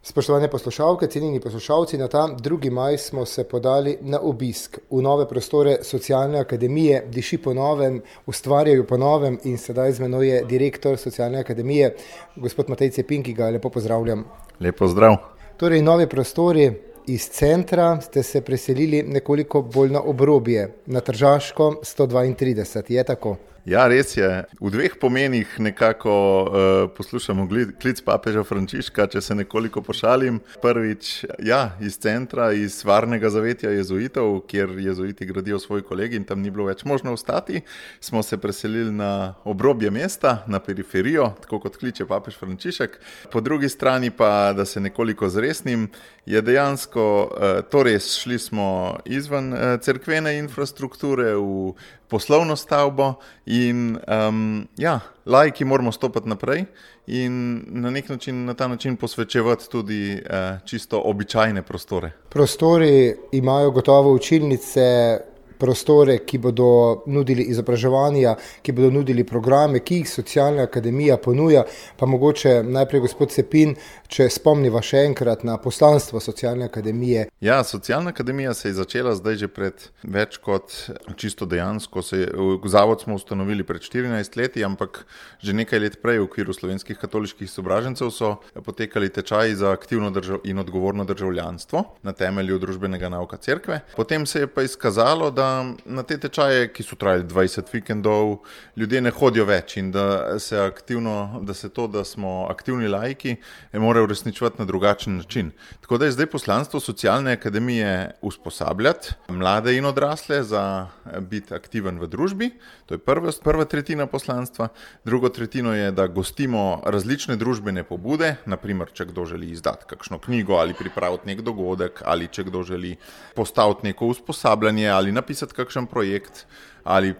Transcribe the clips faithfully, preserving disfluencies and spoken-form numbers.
Spoštovane poslušalke, cenjeni poslušalci, na ta drugi maj smo se podali na obisk v nove prostore Socialne akademije. Diši po novem, ustvarjajo po novem in sedaj z menoj je direktor Socialne akademije, gospod Matej Cepin, ki ga lepo pozdravljam. Lepo zdrav. Torej, novi prostori iz centra ste se preselili nekoliko bolj na obrobje, na Tržaško sto dvaintrideset, je tako? Ja, res je. V dveh pomenih nekako uh, poslušamo klic papeža Frančiška, če se nekoliko pošalim. Prvič, ja, iz centra, iz varnega zavetja jezuitov, kjer jezuiti gradijo svoj kolegi in tam ni bilo več možno ostati, smo se preselili na obrobje mesta, na periferijo, tako kot kliče papež Frančišek. Po drugi strani pa, da se nekoliko zresnim, je dejansko, uh, torej šli smo izven uh, cerkvene infrastrukture v poslovno stavbo in um, ja, laiki moramo stopati naprej in na nek način, na ta način posvečevati tudi uh, čisto običajne prostore. Prostori imajo gotovo učilnice, prostore, ki bodo nudili izobraževanja, ki bodo nudili programe, ki jih Socialna akademija ponuja, pa mogoče najprej gospod Cepin, če spomniva še enkrat na poslanstvo Socialne akademije. Ja, Socialna akademija se je začela zdaj že pred več kot čisto dejansko. Se, zavod smo ustanovili pred štirinajst leti, ampak že nekaj let prej v okviru slovenskih katoliških izobražencev so potekali tečaji za aktivno držav in odgovorno državljanstvo na temelju družbenega nauka cerkve. Potem se je pa izkazalo, da na te tečaje, ki so trajali dvajset vikendov, ljudje ne hodijo več in da se aktivno, da se to, da smo aktivni laiki, morajo uresničevati na drugačen način. Tako da je zdaj poslanstvo Socialne akademije usposabljati mlade in odrasle za biti aktiven v družbi. To je prva, prva tretjina poslanstva. Drugo tretjino je, da gostimo različne družbene pobude, naprimer, če kdo želi izdati kakšno knjigo ali pripraviti nek dogodek ali če kdo želi postaviti neko usposabljanje ali napisati kakšen projekt ali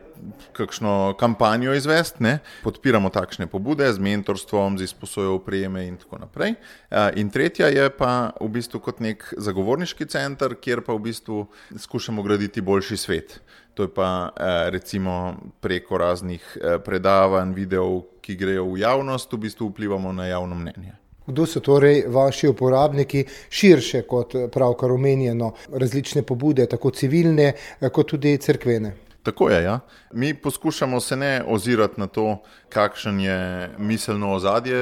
kakšno kampanjo izvesti, ne? Podpiramo takšne pobude z mentorstvom, z izposojo opreme in tako naprej. In tretja je pa v bistvu kot nek zagovorniški center, kjer pa v bistvu skušamo graditi boljši svet. To je pa recimo preko raznih predavanj, videov, ki grejo v javnost, v bistvu vplivamo na javno mnenje. Kdo so torej vaši uporabniki širše kot pravkar omenjeno različne pobude, tako civilne kot tudi cerkvene? Tako je, ja. Mi poskušamo se ne ozirati na to, kakšen je miselno ozadje,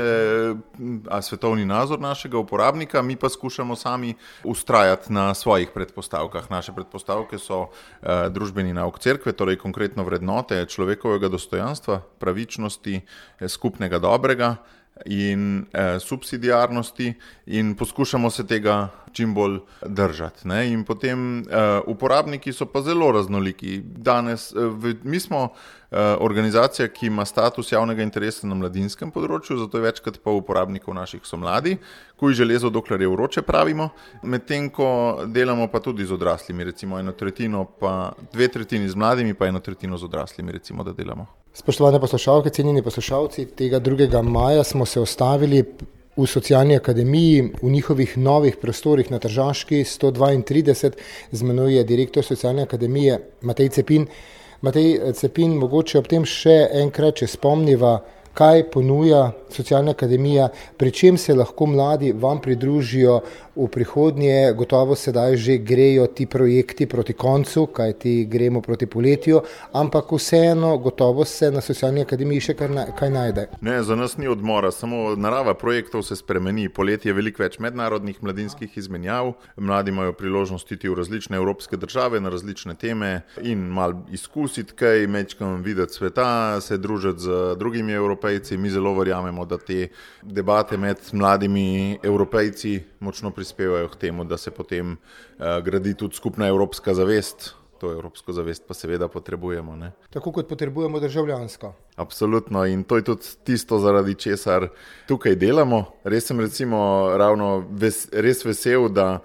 a svetovni nazor našega uporabnika, mi pa skušamo sami ustrajati na svojih predpostavkah. Naše predpostavke so eh, družbeni nauk cerkve, torej konkretno vrednote človekovega dostojanstva, pravičnosti, eh, skupnega dobrega in eh, subsidiarnosti in poskušamo se tega čim bolj držati. Ne? In potem eh, uporabniki so pa zelo raznoliki. Danes, eh, v, mi smo eh, organizacija, ki ima status javnega interesa na mladinskem področju, zato je večkrat pa uporabnikov naših so mladi, kuj železo, dokler je vroče, pravimo, medtem ko delamo pa tudi z odraslimi, recimo eno tretjino, pa dve tretjini z mladimi, pa eno tretjino z odraslimi, recimo, da delamo. Spoštovane poslušalke, cenjeni poslušalci, tega drugega maja smo se ustavili v Socialni akademiji, v njihovih novih prostorih na Tržaški sto dvaintrideset. Z menoj je direktor Socialne akademije Matej Cepin. Matej Cepin, mogoče ob tem še enkrat, če spomniva, kaj ponuja Socialna akademija, pri čem se lahko mladi vam pridružijo v prihodnje. Gotovo sedaj že grejo ti projekti proti koncu, kaj ti gremo proti poletju, ampak vseeno gotovo se na Socialni akademiji še kar na, kaj najde. Ne, za nas ni odmora, samo narava projektov se spremeni. Poletje je veliko več mednarodnih mladinskih izmenjav, mladi imajo priložnost iti v različne evropske države na različne teme in malo izkusiti kaj, mečkam videti sveta, se družiti z drugimi Evropejci. Mi zelo verjamemo, da te debate med mladimi Evropejci močno prispevajo k temu, da se potem uh, gradi tudi skupna evropska zavest. To evropsko zavest pa seveda potrebujemo. Ne? Tako kot potrebujemo državljansko. Absolutno, in to je tudi tisto, zaradi česar tukaj delamo. Res sem recimo ravno ves, res vesel, da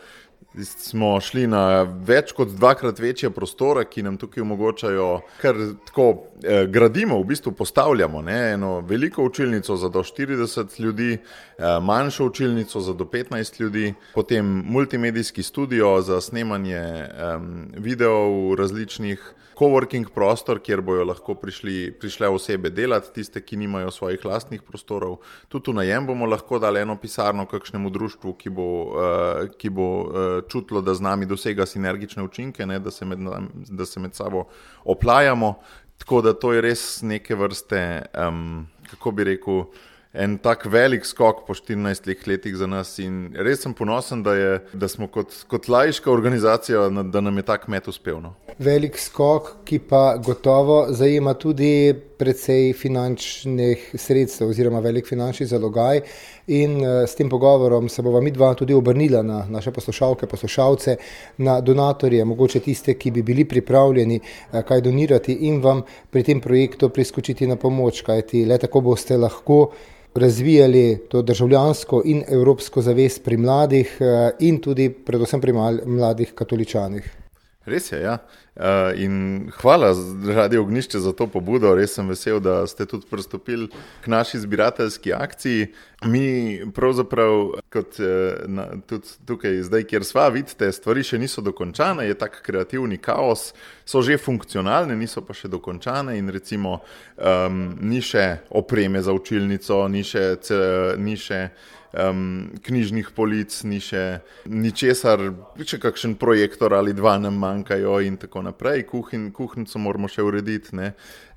smo šli na več kot dvakrat večje prostore, ki nam tukaj omogočajo, kar tako eh, gradimo, v bistvu postavljamo, ne, eno veliko učilnico za do štirideset ljudi, eh, manjšo učilnico za do petnajst ljudi, potem multimedijski studio za snemanje eh, videov različnih, coworking prostor, kjer bojo lahko prišli, prišle osebe delati, tiste, ki nimajo svojih lastnih prostorov. Tudi v najem bomo lahko dali eno pisarno kakšnemu društvu, ki bo, uh, ki bo uh, čutilo, da z nami dosega sinergične učinke, ne, da, se med, da se med sabo oplajamo. Tako da to je res neke vrste, um, kako bi rekel, en tak velik skok po štirinajstih letih za nas in res sem ponosen, da, je, da smo kot, kot laiška organizacija, da nam je tak met uspel. No. Velik skok, ki pa gotovo zajema tudi precej finančnih sredstev oziroma velik finančni zalogaj in s tem pogovorom se bova midva tudi obrnila na naše poslušalke, poslušalce, na donatorje, mogoče tiste, ki bi bili pripravljeni kaj donirati in vam pri tem projektu priskočiti na pomoč, kajti le tako boste lahko razvijali to državljansko in evropsko zavest pri mladih in tudi predvsem pri mladih katoličanih. Res je, ja. In hvala Radio Ognjišče za to pobudo. Res sem vesel, da ste tudi pristopili k naši zbirateljski akciji. Mi pravzaprav, kot na, tudi tukaj zdaj, kjer sva, vidite, stvari še niso dokončane, je tak kreativni kaos, so že funkcionalne, niso pa še dokončane in recimo um, ni še opreme za učilnico, ni še, ni še Um, knjižnih polic, ni še ničesar, še kakšen projektor ali dva nam manjkajo in tako naprej. Kuhin, kuhnico moramo še urediti, ne.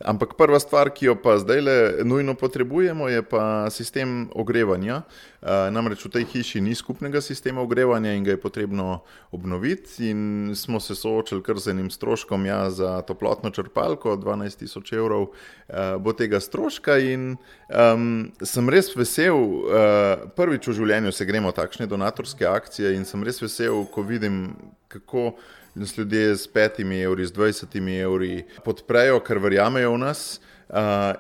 Ampak prva stvar, ki jo pa zdajle nujno potrebujemo, je pa sistem ogrevanja. Uh, namreč v tej hiši ni skupnega sistema ogrevanja in ga je potrebno obnoviti in smo se soočili kar z enim stroškom, ja, za toplotno črpalko, dvanajst tisoč evrov uh, bo tega stroška in um, sem res vesel, uh, prvič v življenju se gremo takšne donatorske akcije in sem res vesel, ko vidim, kako nas ljudje s petimi evri, s dvajsetimi evri podprejo, ker verjamejo v nas. Uh,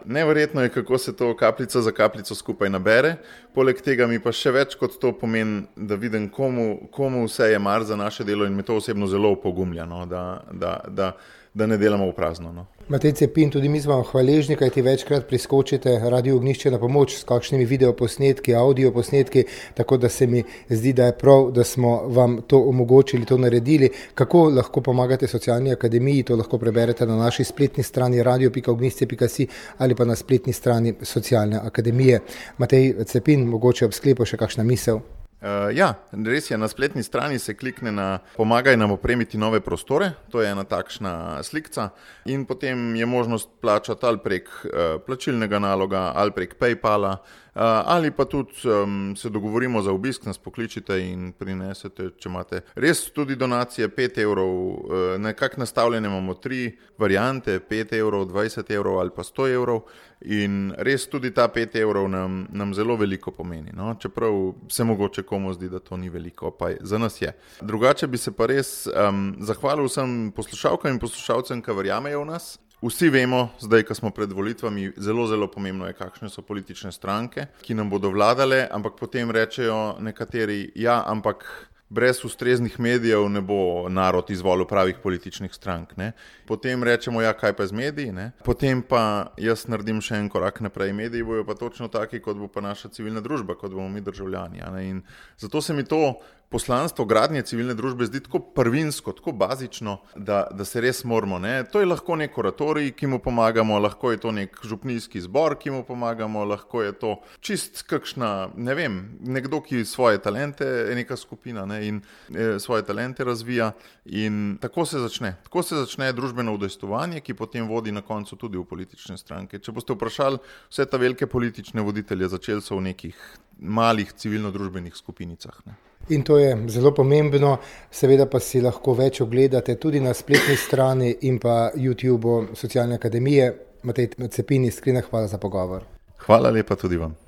neverjetno je, kako se to kapljica za kapljico skupaj nabere. Poleg tega mi pa še več kot to pomeni, da vidim, komu, komu vse je mar za naše delo in me to osebno zelo opogumlja, no, da, da, da, da ne delamo v prazno. No. Matej Cepin, tudi mi smo hvaležni, kaj ti večkrat priskočite Radio Ognjišče na pomoč s kakšnimi videoposnetki, audioposnetki, tako da se mi zdi, da je prav, da smo vam to omogočili, to naredili. Kako lahko pomagate Socialni akademiji, to lahko preberete na naši spletni strani radio pika ognjišče pika si ali pa na spletni strani Socialne akademije. Matej Cepin, mogoče ob sklepu še kakšna misel? Uh, ja, res je, na spletni strani se klikne na pomagaj nam opremiti nove prostore, to je ena takšna slikca in potem je možnost plačati ali prek uh, plačilnega naloga ali prek PayPala uh, ali pa tudi um, se dogovorimo za obisk, nas pokličite in prinesete, če imate res tudi donacije, pet evrov, uh, nekako nastavljene imamo tri variante, pet evrov, dvajset evrov ali pa sto evrov. In res tudi ta pet evrov nam, nam zelo veliko pomeni, no? Čeprav se mogoče komu zdi, da to ni veliko, pa za nas je. Drugače bi se pa res um, zahvalil vsem poslušalkam in poslušalcem, ki verjamejo v nas. Vsi vemo, zdaj, ko smo pred volitvami, zelo, zelo pomembno je, kakšne so politične stranke, ki nam bodo vladale, ampak potem rečejo nekateri, ja, ampak brez ustreznih medijev ne bo narod izvolil pravih političnih strank. Ne? Potem rečemo, ja, kaj pa z mediji, ne? Potem pa jaz naredim še en korak naprej. Mediji bojo pa točno taki, kot bo pa naša civilna družba, kot bomo mi državljani. Ne? In zato se mi to poslanstvo gradnje civilne družbe zdi tako prvinsko, tako bazično, da, da se res moramo. Ne? To je lahko nek oratorij, ki mu pomagamo, lahko je to nek župnijski zbor, ki mu pomagamo, lahko je to čist kakšna, ne vem, nekdo, ki svoje talente, neka skupina, ne? In e, svoje talente razvija in tako se začne. Tako se začne družbeno udejstvovanje, ki potem vodi na koncu tudi v politične stranke. Če boste vprašali vse ta velike politične voditelje, začeli so v nekih malih civilno-družbenih skupinicah. Ne? In to je zelo pomembno, seveda pa si lahko več ogledate tudi na spletni strani in pa YouTubeu Socialne akademije. Matej Cepin, iskrena hvala za pogovor. Hvala lepa tudi vam.